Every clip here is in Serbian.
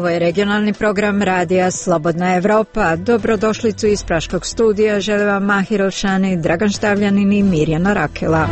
Ovo je regionalni program radija Slobodna Evropa. Dobrodošlicu iz Praškog studija žele vam Mahir Elšani, Dragan Štavljanin i Mirjana Rakela.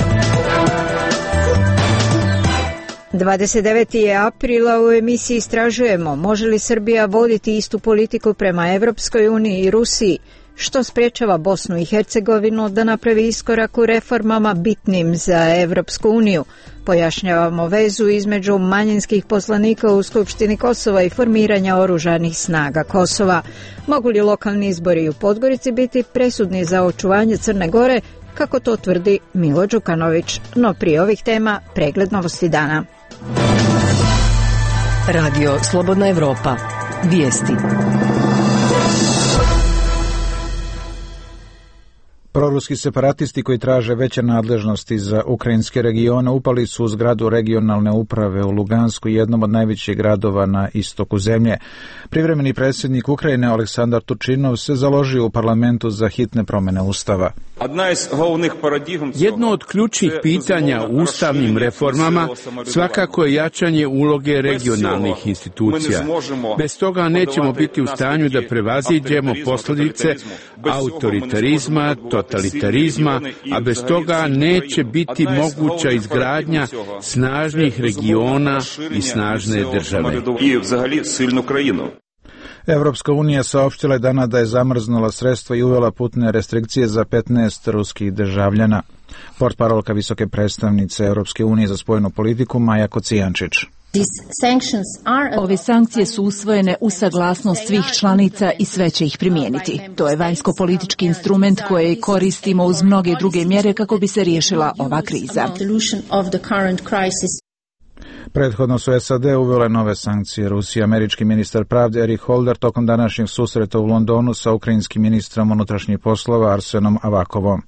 29. je aprila, u emisiji istražujemo može li Srbija voditi istu politiku prema Evropskoj uniji i Rusiji, što sprečava Bosnu i Hercegovinu da napravi iskorak u reformama bitnim za Evropsku uniju. Pojašnjavamo vezu između manjinskih poslanika u Skupštini Kosova i formiranja oružanih snaga Kosova. Mogu li lokalni izbori u Podgorici biti presudni za očuvanje Crne Gore, kako to tvrdi Milo Đukanović? No prije ovih tema pregled novosti dana. Radio Slobodna Evropa. Vijesti. Proruski separatisti koji traže veće nadležnosti za ukrajinske regione upali su u zgradu regionalne uprave u Lugansku, jednom od najvećih gradova na istoku zemlje. Privremeni predsjednik Ukrajine Aleksandar Turčinov se založio u parlamentu za hitne promjene ustava. Jedno od ključnih pitanja u ustavnim reformama svakako je jačanje uloge regionalnih institucija. Bez toga nećemo biti u stanju da prevaziđemo posljedice autoritarizma, totalitarizma, a bez toga neće biti moguća izgradnja snažnih regiona i snažne države. Evropska unija saopštila je danas da je zamrznula sredstva i uvela putne restrikcije za 15 ruskih državljana. Portparolka visoke predstavnice Evropske unije za spoljnu politiku Maja Kocijančić. Ove sankcije su usvojene uz saglasnost svih članica i sve će ih primijeniti. To je vanjsko-politički instrument koji koristimo uz mnoge druge mjere kako bi se riješila ova kriza. Prethodno su SAD uvele nove sankcije Rusiji. Američki ministar pravde Eric Holder tokom današnjeg susreta u Londonu sa ukrajinskim ministrom unutrašnjih poslova Arsenom Avakovom.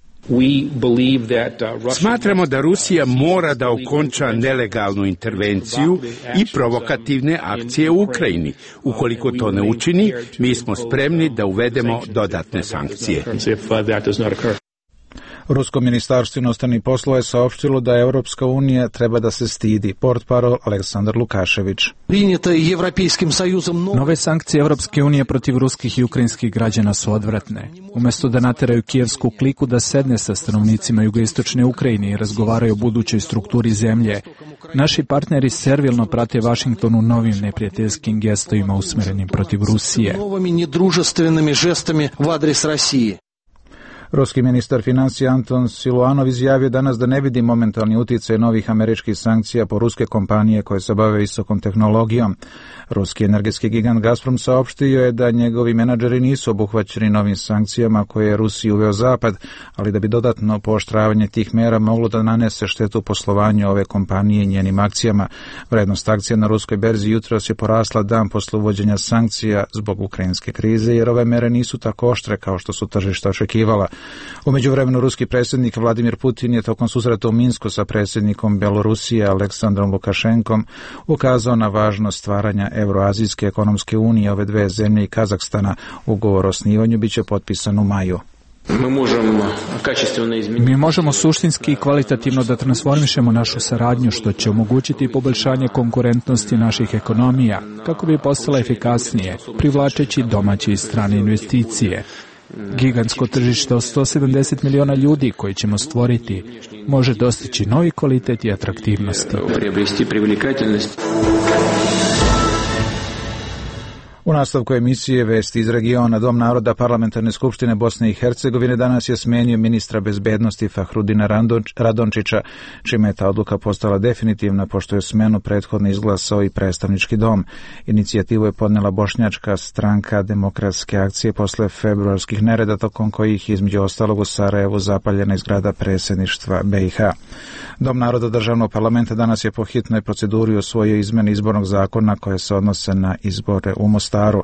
Smatramo da Rusija mora da okonča nelegalnu intervenciju i provokativne akcije u Ukrajini. Ukoliko to ne učini, mi smo spremni da uvedemo dodatne sankcije. Rusko ministarstvo inostranih poslova je saopštilo da Evropska unija treba da se stidi. Portparol Aleksandar Lukašević. Nove sankcije Evropske unije protiv ruskih i ukrajinskih građana su odvratne. Umjesto da nateraju kijevsku kliku da sedne sa stanovnicima jugoistočne Ukrajine i razgovaraju o budućoj strukturi zemlje, naši partneri servilno prate Vašington u novim neprijateljskim gestovima usmerenim protiv Rusije. Ruski ministar financija Anton Siluanov izjavio danas da ne vidi momentalni utjecaj novih američkih sankcija po ruske kompanije koje se bave visokom tehnologijom. Ruski energetski gigant Gazprom saopštio je da njegovi menadžeri nisu obuhvaćeni novim sankcijama koje je Rusiji uveo Zapad, ali da bi dodatno pooštravanje tih mera moglo da nanese štetu poslovanju ove kompanije i njenim akcijama. Vrednost akcija na ruskoj berzi jutros je porasla dan posle uvođenja sankcija zbog ukrajinske krize, jer ove mere nisu tako oštre kao što su tržišta očekivala. U međuvremenu ruski predsjednik Vladimir Putin je tokom susreta u Minsku sa predsjednikom Belorusije Aleksandrom Lukašenkom ukazao na važnost stvaranja Euroazijske ekonomske unije ove dve zemlje i Kazahstana. Ugovor o osnivanju biće potpisan u maju. Mi možemo suštinski i kvalitativno da transformišemo našu saradnju, što će omogućiti poboljšanje konkurentnosti naših ekonomija, kako bi postala efikasnije, privlačeći domaće i strane investicije. Gigantsko tržište od 170 miliona ljudi koji ćemo stvoriti može dostići novi kvalitet i atraktivnosti. U nastavku emisije Vesti iz regiona, Dom naroda Parlamentarne skupštine Bosne i Hercegovine danas je smenio ministra bezbednosti Fahrudina Radončića, čime je ta odluka postala definitivna, pošto je smenu prethodno izglasao i predstavnički dom. Inicijativu je podnela bošnjačka stranka Demokratske akcije posle februarskih nereda, tokom kojih između ostalog u Sarajevu zapaljena zgrada predsjedništva BiH. Dom naroda državnog parlamenta danas je po hitnoj proceduri usvojio izmene izbornog zakona koje se odnose na izbore u Mostaru.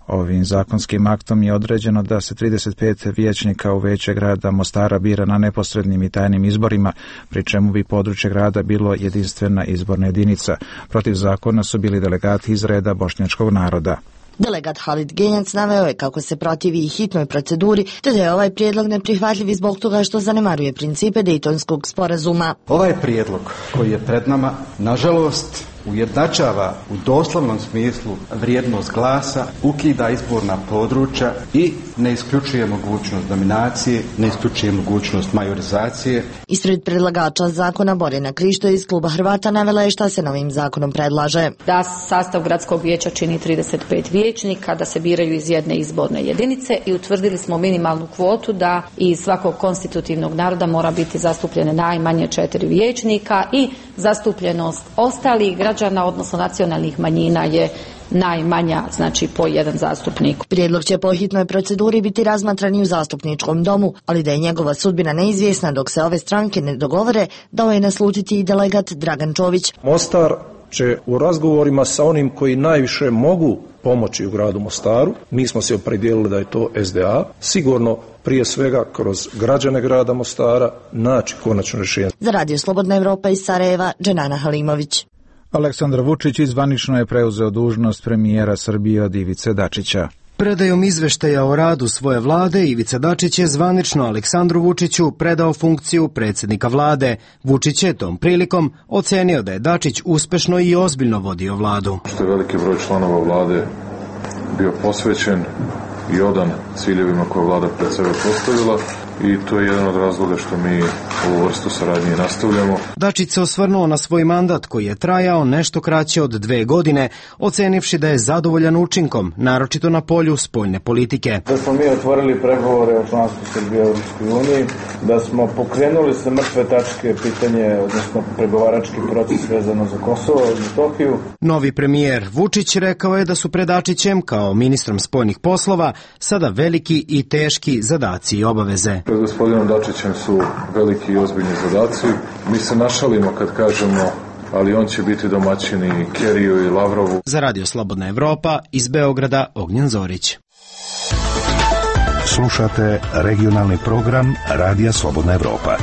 Ovim zakonskim aktom je određeno da se 35 vijećnika u veće grada Mostara bira na neposrednim i tajnim izborima, pri čemu bi područje grada bilo jedinstvena izborna jedinica. Protiv zakona su bili delegati iz reda bošnjačkog naroda. Delegat Halid Genjac naveo je kako se protivi i hitnoj proceduri, te da je ovaj prijedlog neprihvatljiv zbog toga što zanemaruje principe Dejtonskog sporazuma. Ovaj prijedlog koji je pred nama, nažalost, ujednačava u doslovnom smislu vrijednost glasa, ukida izborna područja i ne isključuje mogućnost dominacije, ne isključuje mogućnost majorizacije. Ispred predlagača zakona Borjana Krišto iz kluba Hrvata navela je šta se novim zakonom predlaže. Da sastav gradskog vijeća čini 35 vijećnika, da se biraju iz jedne izborne jedinice i utvrdili smo minimalnu kvotu da iz svakog konstitutivnog naroda mora biti zastupljene najmanje 4 vijećnika i zastupljenost ostalih građana, odnosno nacionalnih manjina je najmanja, znači po jedan zastupnik. Prijedlog će po hitnoj proceduri biti razmatran i u zastupničkom domu, ali da je njegova sudbina neizvjesna dok se ove stranke ne dogovore, dao je naslutiti i delegat Dragan Čović. Mostar će u razgovorima sa onim koji najviše mogu pomoći u gradu Mostaru, mi smo se opredijelili da je to SDA, sigurno prije svega kroz građane grada Mostara naći konačno rješenje. Za Radio Slobodna Evropa iz Sarajeva, Dženana Halimović. Aleksandar Vučić zvanično je preuzeo dužnost premijera Srbije od Ivice Dačića. Predajom izveštaja o radu svoje vlade, Ivica Dačić je zvanično Aleksandru Vučiću predao funkciju predsjednika vlade. Vučić je tom prilikom ocenio da je Dačić uspešno i ozbiljno vodio vladu. Što je veliki broj članova vlade bio posvećen i odan ciljevima koje vlada pred sebe postavila i to je jedan od razloga što mi ovu vrstu saradnje nastavljamo. Dačić se osvrnuo na svoj mandat koji je trajao nešto kraće od 2 godine, ocenivši da je zadovoljan učinkom, naročito na polju spoljne politike. Da smo mi otvorili pregovore o članstvu Srbije u Europskoj uniji, da smo pokrenuli sa mrtve tačke pitanje, odnosno pregovarački proces vezano za Kosovo i Metohiju. Novi premijer Vučić rekao je da su pred Dačićem kao ministrom spoljnih poslova sada veliki i teški zadaci i obaveze. Pred gospodinom Dačićem su veliki i ozbiljni zadaci. Mi se našalimo kad kažemo, ali on će biti domaćin i Keriju i Lavrovu. Za Radio Slobodna Evropa iz Beograda Ognjen Zorić. Slušate regionalni program Radija Slobodna Evropa.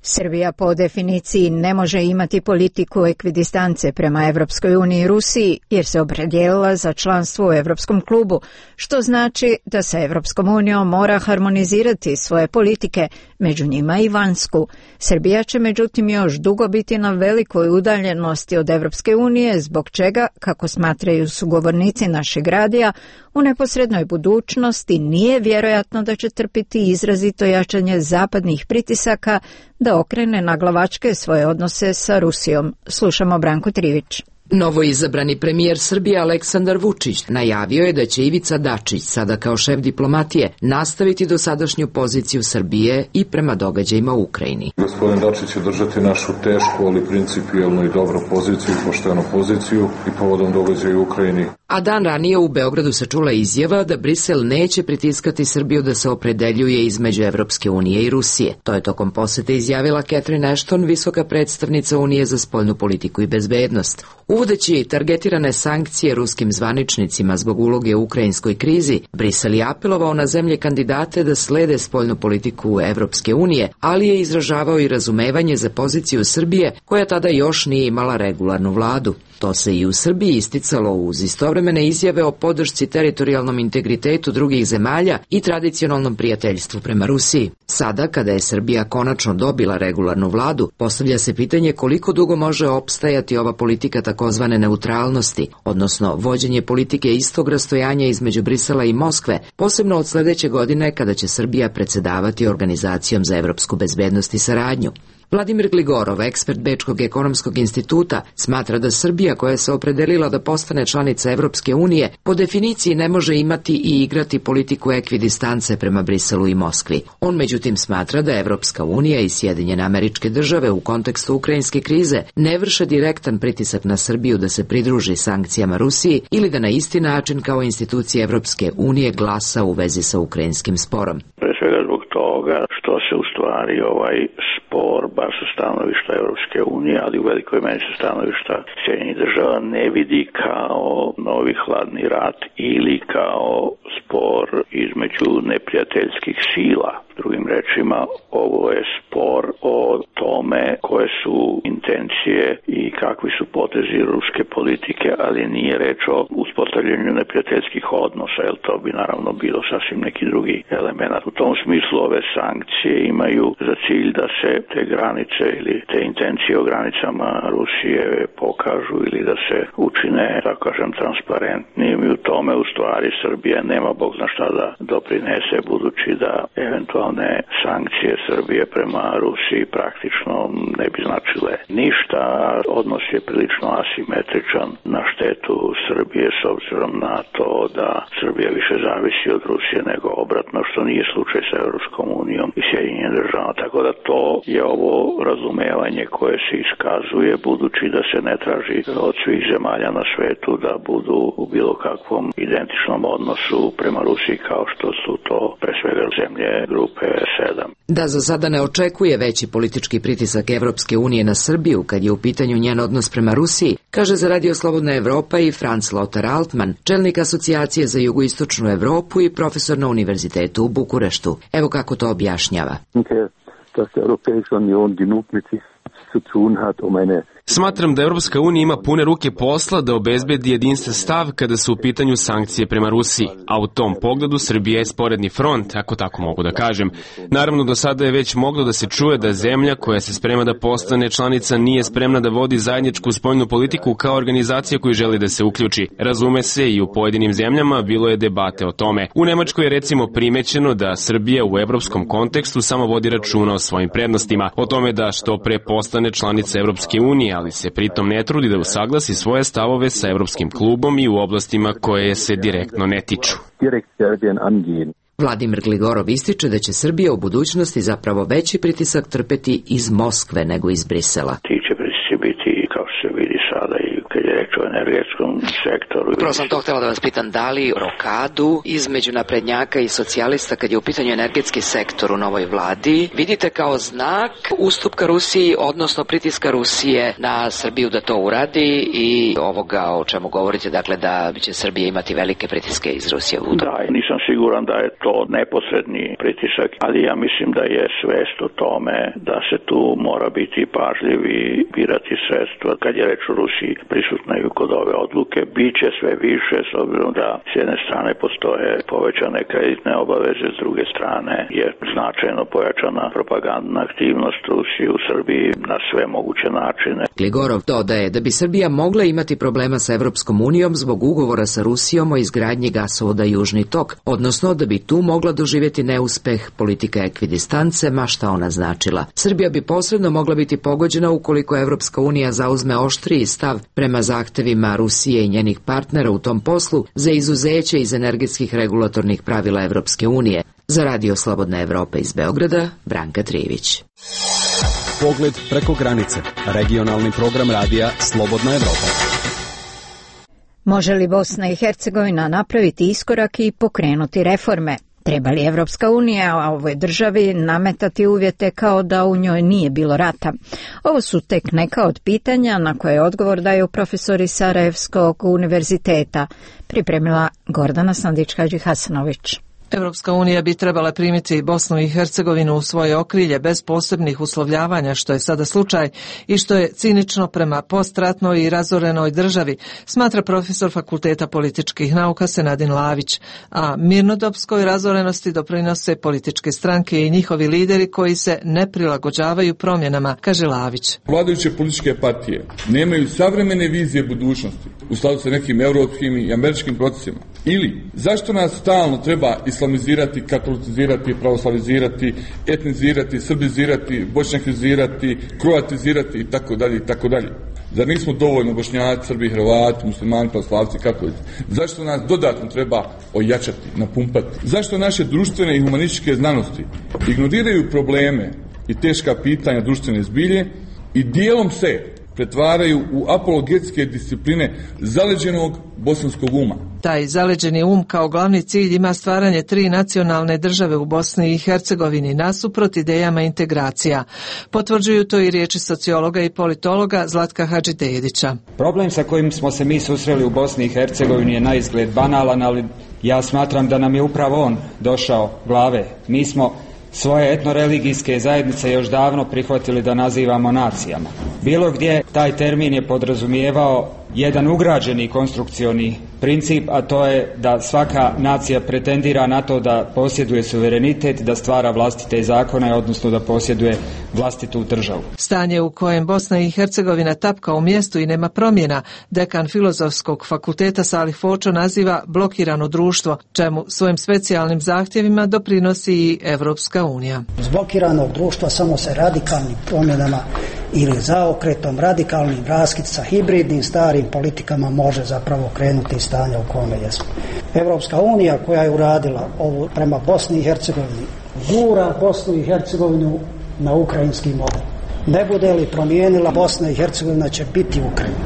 Srbija po definiciji ne može imati politiku ekvidistance prema Evropskoj uniji i Rusiji jer se opredijelila za članstvo u Evropskom klubu, što znači da sa Evropskom unijom mora harmonizirati svoje politike, među njima i vanjsku. Srbija će međutim još dugo biti na velikoj udaljenosti od Evropske unije, zbog čega, kako smatraju sugovornici našeg radija, u neposrednoj budućnosti nije vjerojatno da će trpiti izrazito jačanje zapadnih pritisaka da okrene naglavačke svoje odnose sa Rusijom. Slušamo Branku Trivić. Novoizabrani premijer Srbije Aleksandar Vučić najavio je da će Ivica Dačić, sada kao šef diplomatije, nastaviti dosadašnju poziciju Srbije i prema događajima u Ukrajini. Gospodin Dačić će držati našu tešku, ali principijelnu i dobru poziciju, poštenu poziciju i povodom događaja u Ukrajini. A dan ranije u Beogradu se čula izjava da Brisel neće pritiskati Srbiju da se opredeljuje između Evropske unije i Rusije. To je tokom posete izjavila Catherine Ashton, visoka predstavnica Unije za spoljnu politiku i bezbednost. Uvodeći targetirane sankcije ruskim zvaničnicima zbog uloge u ukrajinskoj krizi, Brisel je apelovao na zemlje kandidate da slede spoljnu politiku Evropske unije, ali je izražavao i razumevanje za poziciju Srbije, koja tada još nije imala regularnu vladu. To se i u Srbiji isticalo uz istovremene izjave o podršci teritorijalnom integritetu drugih zemalja i tradicionalnom prijateljstvu prema Rusiji. Sada, kada je Srbija konačno dobila regularnu vladu, postavlja se pitanje koliko dugo može opstajati ova politika takozvane neutralnosti, odnosno vođenje politike istog rastojanja između Brisela i Moskve, posebno od sledeće godine kada će Srbija predsedavati Organizacijom za evropsku bezbednost i saradnju. Vladimir Gligorov, ekspert Bečkog ekonomskog instituta, smatra da Srbija, koja se opredelila da postane članica Evropske unije, po definiciji ne može imati i igrati politiku ekvidistance prema Briselu i Moskvi. On međutim smatra da Evropska unija i Sjedinjene Američke Države u kontekstu ukrajinske krize ne vrše direktan pritisak na Srbiju da se pridruži sankcijama Rusiji ili da na isti način kao institucije Evropske unije glasa u vezi sa ukrajinskim sporom. Pre svega zbog toga što se u stvari ovaj spor, bar sa stanovišta Evropske unije, ali u velikoj meri sa stanovišta Sjedinjenih Država, ne vidi kao novi hladni rat ili kao spor između neprijateljskih sila. Drugim rečima, ovo je spor o tome koje su intencije i kakvi su potezi ruske politike, ali nije reč o uspostavljanju neprijateljskih odnosa, jer to bi naravno bilo sasvim neki drugi element. U tom smislu ove sankcije imaju za cilj da se te granice ili te intencije o granicama Rusije pokažu ili da se učine, tako kažem, transparentnim, i u tome u stvari Srbija nema bog zna šta da doprinese, budući da eventualne sankcije Srbije prema Rusiji praktično ne bi značile ništa. Odnos je prilično asimetričan na štetu Srbije s obzirom na to da Srbija više zavisi od Rusije nego obratno, što nije slučaj sa Europskom unijom i Sjedinjenim državama. Tako da to je ovo razumevanje koje se iskazuje, budući da se ne traži od svih zemalja na svetu da budu u bilo kakvom identičnom odnosu prema Rusiji kao što su to pre svega zemlje grupe 7. Da za sada ne očekuje veći politički pritisak Evropske unije na Srbiju kad je u pitanju njen odnos prema Rusiji, kaže za Radio Slobodna Evropa i Franz Lothar Altmann, čelnik asocijacije za jugoistočnu Evropu i profesor na univerzitetu u Bukureštu. Evo kako to objašnjava. Smatram da Europska unija ima pune ruke posla da obezbedi jedinstven stav kada su u pitanju sankcije prema Rusiji, a u tom pogledu Srbija je sporedni front, ako tako mogu da kažem. Naravno, do sada je već moglo da se čuje da zemlja koja se sprema da postane članica nije spremna da vodi zajedničku spoljnu politiku kao organizacija koju želi da se uključi. Razume se, i u pojedinim zemljama bilo je debate o tome. U Nemačkoj je recimo primećeno da Srbija u evropskom kontekstu samo vodi računa o svojim prednostima, o tome da što pre postane članica Evropske unije, ali se pritom ne trudi da usaglasi svoje stavove sa Evropskim klubom i u oblastima koje se direktno ne tiču. Vladimir Gligorov ističe da će Srbija u budućnosti zapravo veći pritisak trpeti iz Moskve nego iz Brisela. Ti će pritisci biti, kao što se vidi sada, i kad je reč o energetskom sektoru. Upravo sam to htjela da vas pitam, da li rokadu između naprednjaka i socijalista kad je u pitanju energetski sektor u novoj vladi vidite kao znak ustupka Rusiji, odnosno pritiska Rusije na Srbiju da to uradi i ovoga o čemu govorite, dakle da će Srbija imati velike pritiske iz Rusije? Da, nisam siguran da je to neposredni pritisak, ali ja mislim da je svest o tome da se tu mora biti pažljiv i birati sredstva. Kad je reč o Rusiji prisutna i kod ove odluke, bit će sve više, s obzirom da s jedne strane postoje povećane kreditne obaveze, s druge strane je značajno pojačana propagandna aktivnost Rusije u Srbiji na sve moguće načine. Gligorov dodaje da bi Srbija mogla imati problema sa Evropskom unijom zbog ugovora sa Rusijom o izgradnji gasovoda Južni tok, odnosno da bi tu mogla doživjeti neuspeh politika ekvidistance, ma šta ona značila. Srbija bi posredno mogla biti pogođena ukoliko Evropska unija zauzme oštriji stav prema zahtevima Rusije i njenih partnera u tom poslu za izuzeće iz energetskih regulatornih pravila Evropske unije. Za Radio Slobodna Evropa iz Beograda, Branka Trivić. Pogled preko granice. Regionalni program radija Slobodna Evropa. Može li Bosna i Hercegovina napraviti iskorak i pokrenuti reforme? Treba li Evropska unija ovoj državi nametati uvjete kao da u njoj nije bilo rata? Ovo su tek neka od pitanja na koje odgovor daju profesori Sarajevskog univerziteta, pripremila Gordana Sandić-Hadži-Hasanović. Evropska unija bi trebala primiti Bosnu i Hercegovinu u svoje okrilje bez posebnih uslovljavanja, što je sada slučaj i što je cinično prema postratnoj i razorenoj državi, smatra profesor Fakulteta političkih nauka Senadin Lavić, a mirnodopskoj razorenosti doprinose političke stranke i njihovi lideri koji se ne prilagođavaju promjenama, kaže Lavić. Vladajuće političke partije nemaju savremene vizije budućnosti u skladu sa nekim europskim i američkim procesima. Ili zašto nas stalno treba islamizirati, katolicizirati, pravoslavizirati, etnizirati, srbizirati, bošnjakizirati, kroatizirati itd. itd. Zar nismo dovoljno Bošnjaci, Srbi, Hrvati, muslimani, pravoslavci, katolici? Zašto nas dodatno treba ojačati, napumpati? Zašto naše društvene i humanističke znanosti ignoriraju probleme i teška pitanja društvene zbilje i dijelom se pretvaraju u apologetske discipline zaleđenog bosanskog uma? Taj zaleđeni um kao glavni cilj ima stvaranje 3 nacionalne države u Bosni i Hercegovini nasuprot idejama integracija. Potvrđuju to i riječi sociologa i politologa Zlatka Hadžidedića. Problem sa kojim smo se mi susreli u Bosni i Hercegovini je naizgled banalan, ali ja smatram da nam je upravo on došao glave. Mi smo svoje etnoreligijske zajednice još davno prihvatili da nazivamo nacijama. Bilo gdje taj termin je podrazumijevao jedan ugrađeni konstrukcioni princip, a to je da svaka nacija pretendira na to da posjeduje suverenitet, da stvara vlastite zakone, odnosno da posjeduje vlastitu državu. Stanje u kojem Bosna i Hercegovina tapka u mjestu i nema promjena, dekan Filozofskog fakulteta Salih Fočo naziva blokirano društvo, čemu svojim specijalnim zahtjevima doprinosi i Evropska unija. Iz blokiranog društva samo se radikalnim promjenama ili zaokretom, radikalnim raskid sa hibridnim starim politikama može zapravo krenuti iz stanja u kome jesmo. Evropska unija koja je uradila ovo prema Bosni i Hercegovini gura Bosnu i Hercegovinu na ukrajinski model. Ne bude li promijenila, Bosna i Hercegovina će biti Ukrajina.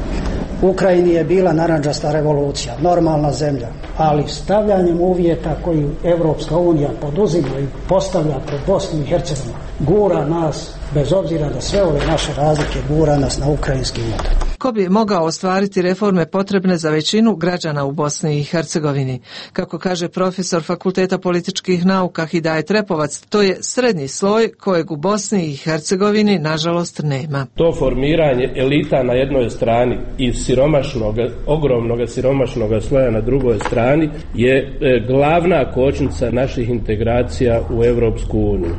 U Ukrajini je bila narandžasta revolucija, normalna zemlja, ali stavljanjem uvjeta koju Evropska unija poduzima i postavlja pred Bosnu i Hercegovinu, gura nas, bez obzira da sve ove naše razlike, gura nas na ukrajinski model. Ko bi mogao ostvariti reforme potrebne za većinu građana u Bosni i Hercegovini? Kako kaže profesor Fakulteta političkih nauka Hidajet Repovac, to je srednji sloj kojeg u Bosni i Hercegovini nažalost nema. To formiranje elita na jednoj strani i ogromnog siromašnog sloja na drugoj strani je glavna kočnica naših integracija u Evropsku uniju.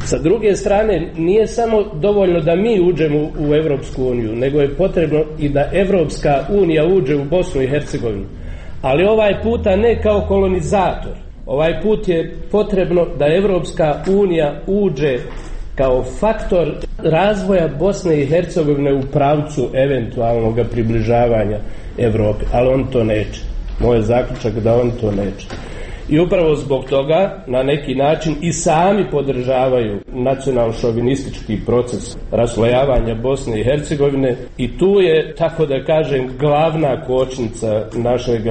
Sa druge strane, nije samo dovoljno da mi uđemo u Evropsku uniju, nego je potrebno i da Evropska unija uđe u Bosnu i Hercegovinu. Ali ovaj puta ne kao kolonizator. Ovaj put je potrebno da Evropska unija uđe kao faktor razvoja Bosne i Hercegovine u pravcu eventualnog približavanja Evropi. Ali on to neće. Moj je zaključak da on to neće. I upravo zbog toga na neki način i sami podržavaju nacionalno-šovinistički proces raslojavanja Bosne i Hercegovine i tu je, tako da kažem, glavna kočnica našeg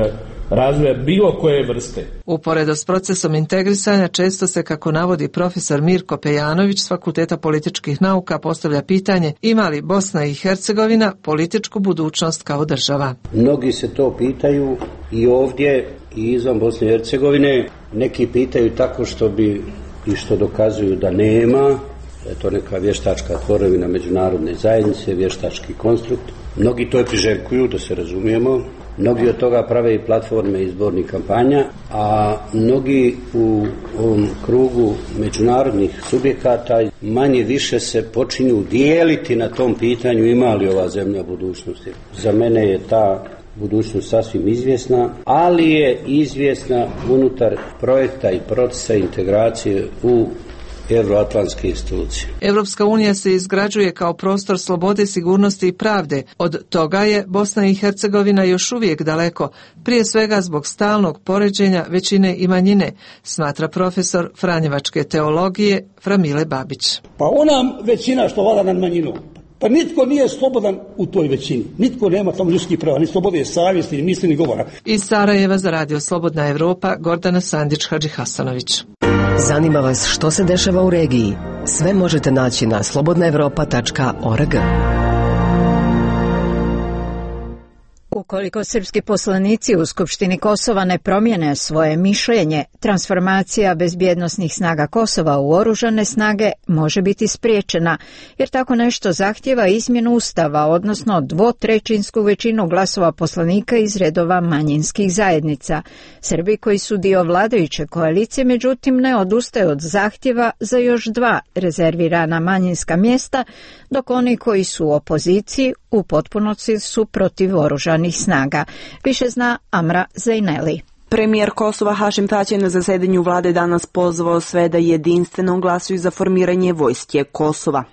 razvoja bilo koje vrste. Uporedo s procesom integrisanja često se, kako navodi profesor Mirko Pejanović s Fakulteta političkih nauka, postavlja pitanje ima li Bosna i Hercegovina političku budućnost kao država. Mnogi se to pitaju i ovdje i izvan Bosne i Hercegovine. Neki pitaju tako što bi i što dokazuju da nema, da je to neka vještačka tvorevina međunarodne zajednice, vještački konstrukt. Mnogi to priželjkuju, da se razumijemo. Mnogi od toga prave i platforme izbornih kampanja, a mnogi u ovom krugu međunarodnih subjekata manje više se počinju dijeliti na tom pitanju ima li ova zemlja budućnosti. Za mene je ta budućnost sasvim izvjesna, ali je izvjesna unutar projekta i procesa integracije u evroatlantske institucije. Evropska unija se izgrađuje kao prostor slobode, sigurnosti i pravde. Od toga je Bosna i Hercegovina još uvijek daleko, prije svega zbog stalnog poređenja većine i manjine, smatra profesor franjevačke teologije Framile Babić. Pa ona većina što vlada nad manjinom, pa nitko nije slobodan u toj većini. Nitko nema tamo ljudskih prava, ni slobode savjesti, ni misli, ni govora. Iz Sarajeva za Radio Slobodna Evropa, Gordana Sandić-Hadžihasanović. Zanima vas što se dešava u regiji? Sve možete naći na slobodnaevropa.org. Ukoliko srpski poslanici u Skupštini Kosova ne promijene svoje mišljenje, transformacija bezbjednosnih snaga Kosova u oružane snage može biti spriječena, jer tako nešto zahtjeva izmjenu Ustava, odnosno 2/3 većinu glasova poslanika iz redova manjinskih zajednica. Srbi koji su dio vladajuće koalicije, međutim, ne odustaju od zahtjeva za još 2 rezervirana manjinska mjesta, dok oni koji su u opoziciji u potpunosti su protiv oružanih snaga. Više zna Amra Zajneli. Premijer Kosova Hašim Tači je na zasedanju vlade danas pozvao sve da jedinstveno glasuju za formiranje vojske Kosova.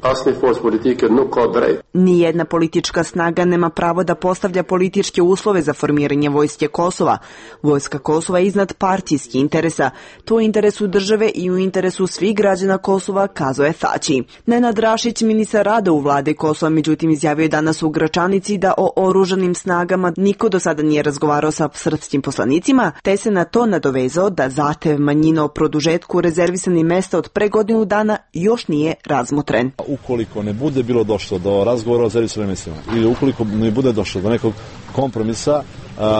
Nijedna politička snaga nema pravo da postavlja političke uslove za formiranje vojske Kosova. Vojska Kosova je iznad partijskih interesa. To je u interesu države i u interesu svih građana Kosova, kazao je Tači. Nenad Rašić, ministar rada u vlade Kosova, međutim izjavio je danas u Gračanici da o oružanim snagama niko do sada nije razgovarao sa srpskim poslanicima, te se na to nadovezao da zahtev manjina o produžetku rezervisanih mesta od pre godinu dana još nije razmotren. Ukoliko ne bude bilo došlo do razgovora o rezervisanim mestima ili ukoliko ne bude došlo do nekog kompromisa,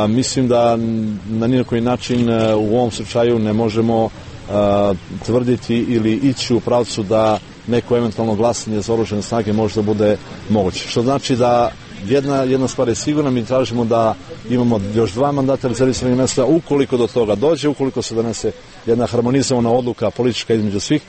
mislim da na nijedan način u ovom slučaju ne možemo tvrditi ili ići u pravcu da neko eventualno glasanje za oružane snage možda bude moguće. Što znači da jedna stvar je sigurna, mi tražimo da imamo još 2 mandata rezervisanih mesta, ukoliko do toga dođe, ukoliko se donese jedna harmonizovana odluka politička između svih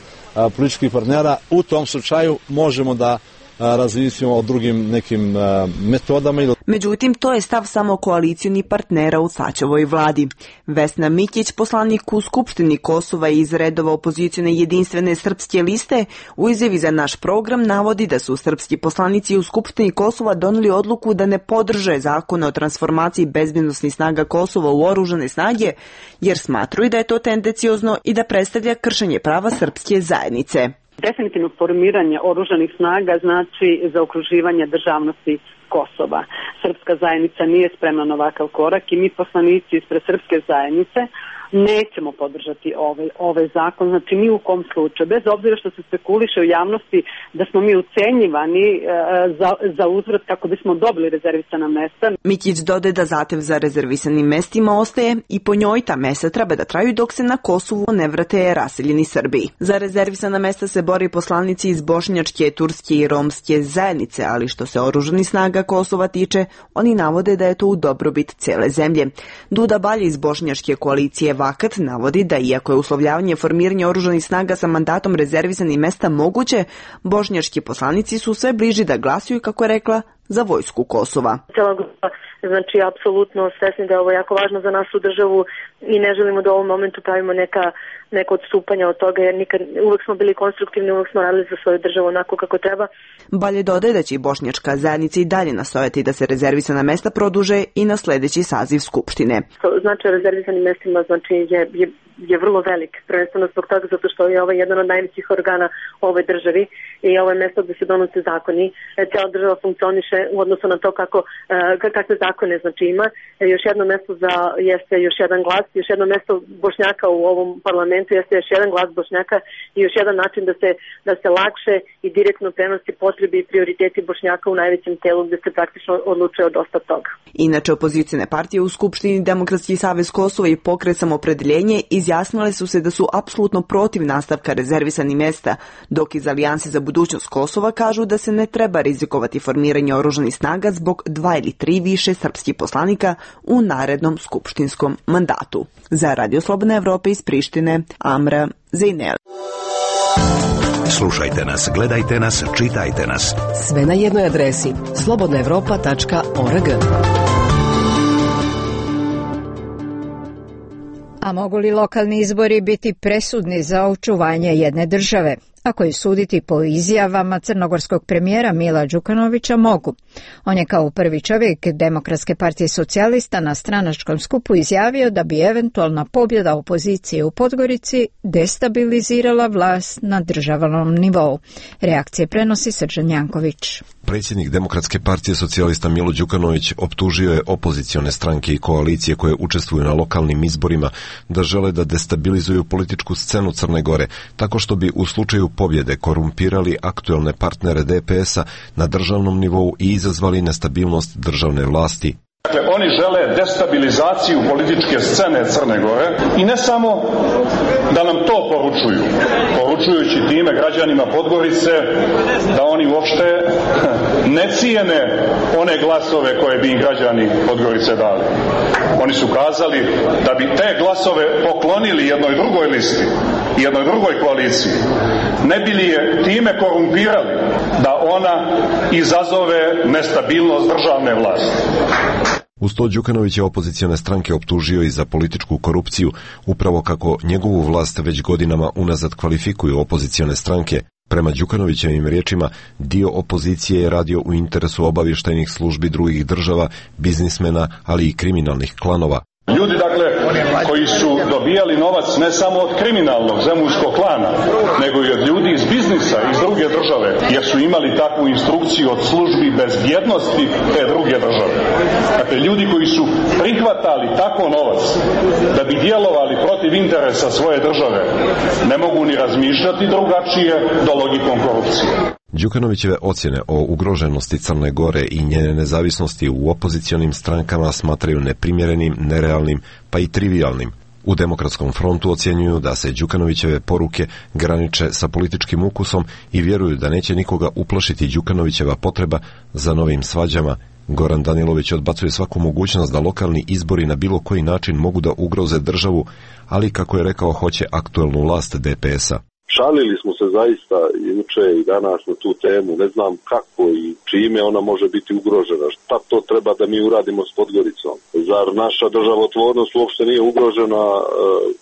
političkih partnera, u tom slučaju možemo da razmislimo o drugim nekim metodama. Međutim, to je stav samo koalicioni partnera u Sačevoj vladi. Vesna Mikić, poslanik u Skupštini Kosova iz redova opozicione jedinstvene srpske liste, u izjavi za naš program navodi da su srpski poslanici u Skupštini Kosova doneli odluku da ne podrže zakon o transformaciji bezbednosnih snaga Kosova u oružane snage, jer smatruju da je to tendenciozno i da predstavlja kršenje prava srpske zajednice. Definitivno formiranje oružanih snaga znači zaokruživanje državnosti Kosova. Srpska zajednica nije spremna na ovakav korak i mi poslanici ispred srpske zajednice nećemo podržati ovaj zakon, znači ni u kom slučaju, bez obzira što se spekuliše u javnosti da smo mi ucenjivani za uzvrat kako bismo dobili rezervisana mesta. Mikić dodaje da zahtev za rezervisanim mestima ostaje i po njoj ta mesta treba da traju dok se na Kosovu ne vrate raseljeni Srbi. Za rezervisana mesta se bori poslanici iz bošnjačke, turske i romske zajednice, ali što se oružanih snaga Kosova tiče, oni navode da je to u dobrobit cele zemlje. Duda Balje iz bošnjačke koalicije Vakat navodi da iako je uslovljavanje formiranja oružanih snaga sa mandatom rezervisanih mesta moguće, bošnjački poslanici su sve bliži da glasuju, kako je rekla, za vojsku Kosova. Znači, apsolutno svesni da je ovo jako važno za našu državu i ne želimo da u ovom momentu pravimo neko odstupanja od toga, jer uvek smo bili konstruktivni, uvek smo radili za svoju državu onako kako treba. Balje dodaje da će i bošnjačka zajednica i dalje nastojati da se rezervisana mesta produže i na sledeći saziv Skupštine. Značaj rezervisanim mestima je vrlo velik, prvenstveno zbog toga zato što je ovo jedan od najvećih organa u ovoj državi i ovo je mesto gde se donose zakoni. Cijela država funkcioniše u odnosu na to kakve zakone ima. Još jedno mesto jeste još jedan glas, još jedno mesto Bošnjaka u ovom parlamentu jeste još jedan glas Bošnjaka i još jedan način da se lakše i direktno prenosi potrebe i prioriteti Bošnjaka u najvećem telu gde se praktično odlučuje od dosta toga. Inače, opozicione partije u Skupštini Demokratski savez Kosova i Pokret Samopredeljenje izjasnile su se da su apsolutno protiv nastavka rezervisanih mesta, dok iz Alijanse za budućnost Kosova kažu da se ne treba rizikovati formiranje oružanih snaga zbog 2 ili 3 više srpskih poslanika u narednom skupštinskom mandatu. Za Radio Slobodna Evropa iz Prištine, Amra Zejnel. Slušajte nas, gledajte nas, čitajte nas. Sve na jednoj adresi slobodnaevropa.org. A mogu li lokalni izbori biti presudni za očuvanje jedne države? Ako je suditi po izjavama crnogorskog premijera Mila Đukanovića, mogu. On je kao prvi čovjek Demokratske partije socijalista na stranačkom skupu izjavio da bi eventualna pobjeda opozicije u Podgorici destabilizirala vlast na državnom nivou. Reakcije prenosi Srđan Janković. Predsjednik Demokratske partije socijalista Milo Đukanović optužio je opozicione stranke i koalicije koje učestvuju na lokalnim izborima da žele da destabilizuju političku scenu Crne Gore, tako što bi u slučaju pobjede korumpirali aktuelne partnere DPS-a na državnom nivou i izazvali nestabilnost državne vlasti. Dakle, oni žele destabilizaciju političke scene Crne Gore i ne samo da nam to poručujući time građanima Podgorice da oni uopšte ne cijene one glasove koje bi im građani Podgorice dali. Oni su kazali da bi te glasove poklonili jednoj drugoj listi, jednoj drugoj koaliciji, ne bi li je time korumpirali da ona izazove nestabilnost državne vlasti. Uz to Đukanović je opozicione stranke optužio i za političku korupciju, upravo kako njegovu vlast već godinama unazad kvalifikuju opozicione stranke. Prema Đukanovićevim riječima, dio opozicije je radio u interesu obavještajnih službi drugih država, biznismena, ali i kriminalnih klanova. Ljudi, dakle, koji su dobijali novac ne samo od kriminalnog zemunskog klana, nego i od ljudi iz biznisa, iz druge države, jer su imali takvu instrukciju od službi bezbjednosti te druge države. Dakle, ljudi koji su prihvatali tako novac da bi djelovali protiv interesa svoje države, ne mogu ni razmišljati drugačije do logikom korupcije. Đukanovićeve ocjene o ugroženosti Crne Gore i njene nezavisnosti u opozicionim strankama smatraju neprimjerenim, nerealnim pa i trivialnim. U Demokratskom frontu ocjenjuju da se Đukanovićeve poruke graniče sa političkim ukusom i vjeruju da neće nikoga uplašiti Đukanovićeva potreba za novim svađama. Goran Danilović odbacuje svaku mogućnost da lokalni izbori na bilo koji način mogu da ugroze državu, ali kako je rekao hoće aktuelnu vlast DPS-a. Šalili smo se zaista juče i danas na tu temu, ne znam kako i čime ona može biti ugrožena, šta to treba da mi uradimo s Podgoricom. Zar naša državotvornost uopšte nije ugrožena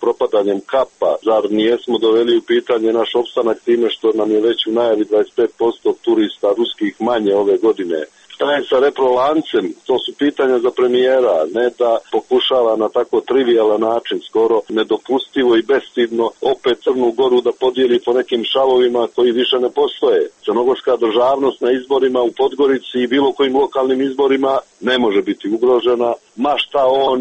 propadanjem Kapa, zar nijesmo doveli u pitanje naš opstanak time što nam je već u najavi 25% turista ruskih manje ove godine. Šta je sa reprolancem? To su pitanja za premijera, ne da pokušava na tako trivialan način, skoro nedopustivo i bestidno, opet Crnu Goru da podijeli po nekim šavovima koji više ne postoje. Crnogorska državnost na izborima u Podgorici i bilo kojim lokalnim izborima ne može biti ugrožena, ma šta on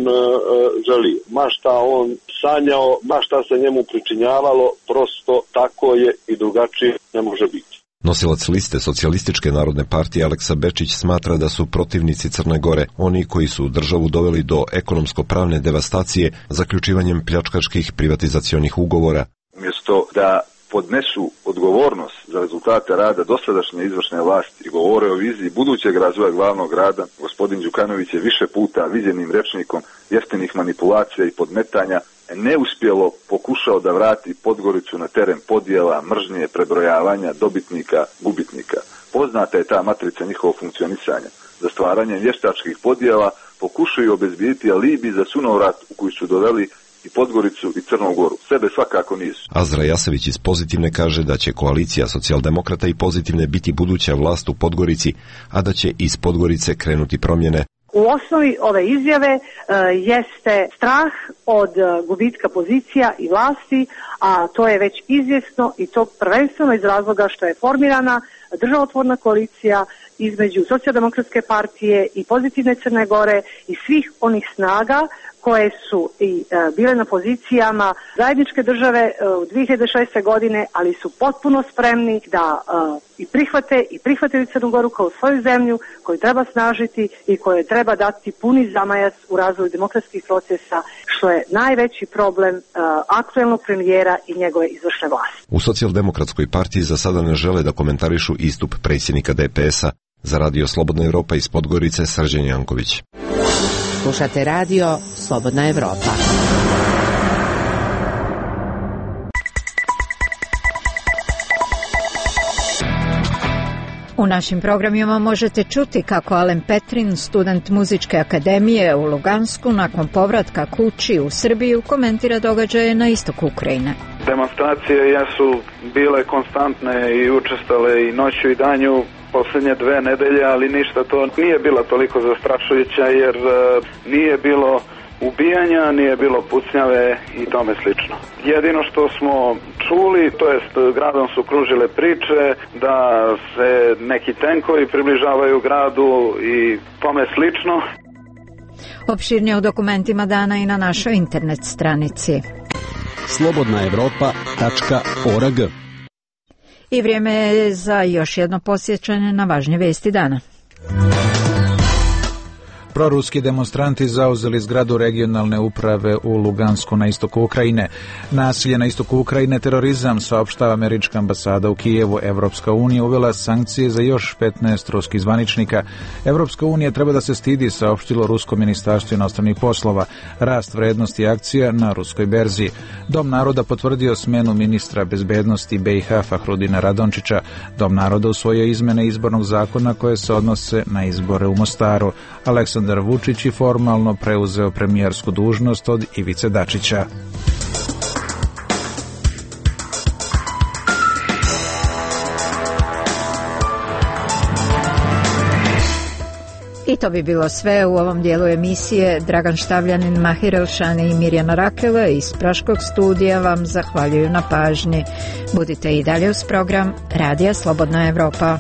želi, ma šta on sanjao, ma šta se njemu pričinjavalo, prosto tako je i drugačije ne može biti. Nosilac liste Socijalističke narodne partije Aleksa Bečić smatra da su protivnici Crne Gore oni koji su državu doveli do ekonomsko-pravne devastacije zaključivanjem pljačkaških privatizacionih ugovora. Umjesto da podnesu odgovornost za rezultate rada dosadašnje izvršne vlasti i govore o viziji budućeg razvoja glavnog grada, gospodin Đukanović je više puta viđenim rečnikom jeftinih manipulacija i podmetanja neuspjelo pokušao da vrati Podgoricu na teren podjela, mržnje, prebrojavanja, dobitnika, gubitnika. Poznata je ta matrica njihovog funkcionisanja. Za stvaranje vještačkih podjela pokušaju obezbijediti alibi za sunovrat u koji su doveli i Podgoricu i Crnu Goru. Sebe svakako nisu. Azra Jasević iz Pozitivne kaže da će koalicija socijaldemokrata i Pozitivne biti buduća vlast u Podgorici, a da će iz Podgorice krenuti promjene. U osnovi ove izjave jeste strah od gubitka pozicija i vlasti, a to je već izvjesno i to prvenstveno iz razloga što je formirana državotvorna koalicija između Socijaldemokratske partije i Pozitivne Crne Gore i svih onih snaga koje su i bile na pozicijama zajedničke države u 2006. godine, ali su potpuno spremni da i prihvatili Crnu Goru kao svoju zemlju koju treba snažiti i kojoj treba dati puni zamajac u razvoju demokratskih procesa, što je najveći problem aktuelnog premijera i njegove izvršne vlasti. U Socijaldemokratskoj partiji za sada ne žele da komentarišu istup predsjednika DPS-a. Za Radio Slobodna Evropa iz Podgorice, Srđan Janković. Slušate radio Slobodna Evropa. U našim programima možete čuti kako Alen Petrin, student Muzičke akademije u Lugansku, nakon povratka kući u Srbiju, komentira događaje na istoku Ukrajine. Demonstracije jesu bile konstantne i učestale i noću i danju posljednje 2 nedelje, ali ništa to nije bila toliko zastrašujuća jer nije bilo ubijanja, nije bilo pucnjave i tome slično. Jedino što smo čuli, to jest gradom su kružile priče da se neki tenkovi približavaju gradu i tome slično. Opširnije u dokumentima dana i na našoj internet stranici. slobodnaevropa.org. I vrijeme je za još jedno posjećanje na važnje vesti dana. Proruski demonstranti zauzeli zgradu regionalne uprave u Lugansku na istoku Ukrajine. Nasilje na istoku Ukrajine, terorizam, saopštava američka ambasada u Kijevu. Evropska unija uvela sankcije za još 15 ruskih zvaničnika. Evropska unija treba da se stidi, saopštilo Rusko ministarstvo inostranih poslova. Rast vrednosti akcija na ruskoj berzi. Dom naroda potvrdio smenu ministra bezbednosti BiH Fahrudina Radončića. Dom naroda usvojio izmene izbornog zakona koje se odnose na izbore u Mostaru. Aleksandar Vučić je formalno preuzeo premijersku dužnost od Ivice Dačića. I to bi bilo sve u ovom dijelu emisije. Dragan Štavljanin, Mahir Elšani i Mirjana Rakela iz Praškog studija vam zahvaljuju na pažnji. Budite i dalje uz program Radija Slobodna Evropa.